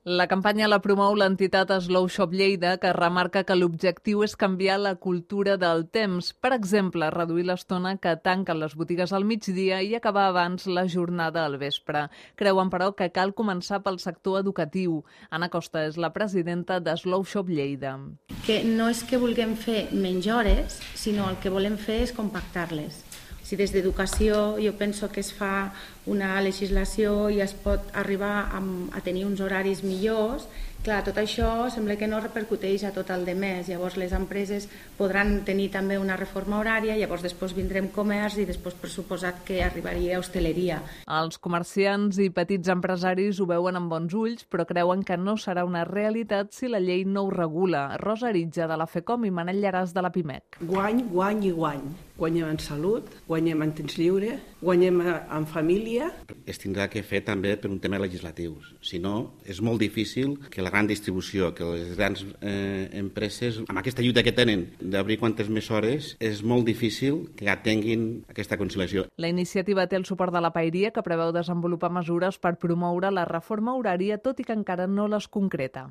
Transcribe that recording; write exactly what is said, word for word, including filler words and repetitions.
La campanya la promou l'entitat Slow Shop Lleida, que remarca que l'objectiu és canviar la cultura del temps. Per exemple, reduir l'estona que tanquen les botigues al migdia i acabar abans la jornada al vespre. Creuen, però, que cal començar pel sector educatiu. Anna Costa és la presidenta de Slow Shop Lleida. Que no és que vulguem fer menys hores, sinó el que volem fer és compactar-les. Si des d'educació jo penso que es fa una legislació i es pot arribar a, a tenir uns horaris millors, clar, tot això sembla que no repercuteix a tot el de més. Llavors les empreses podran tenir també una reforma horària, llavors després vindrem comerç i després per suposat que arribaria a hostaleria. Els comerciants i petits empresaris ho veuen amb bons ulls, però creuen que no serà una realitat si la llei no ho regula. Rosa Aritja, de la FECOM, i Manel Llaràs, de la PIMEC. Guany, guany i guany. Guanyem en salut, guanyem en temps lliure, guanyem en família. Es tindrà que fer també per un tema legislatiu. Si no, és molt difícil que la gran distribució, que les grans eh, empreses, amb aquesta lluita que tenen d'obrir quantes més hores, és molt difícil que atenguin aquesta conciliació. La iniciativa té el suport de la Paeria, que preveu desenvolupar mesures per promoure la reforma horària, tot i que encara no les concreta.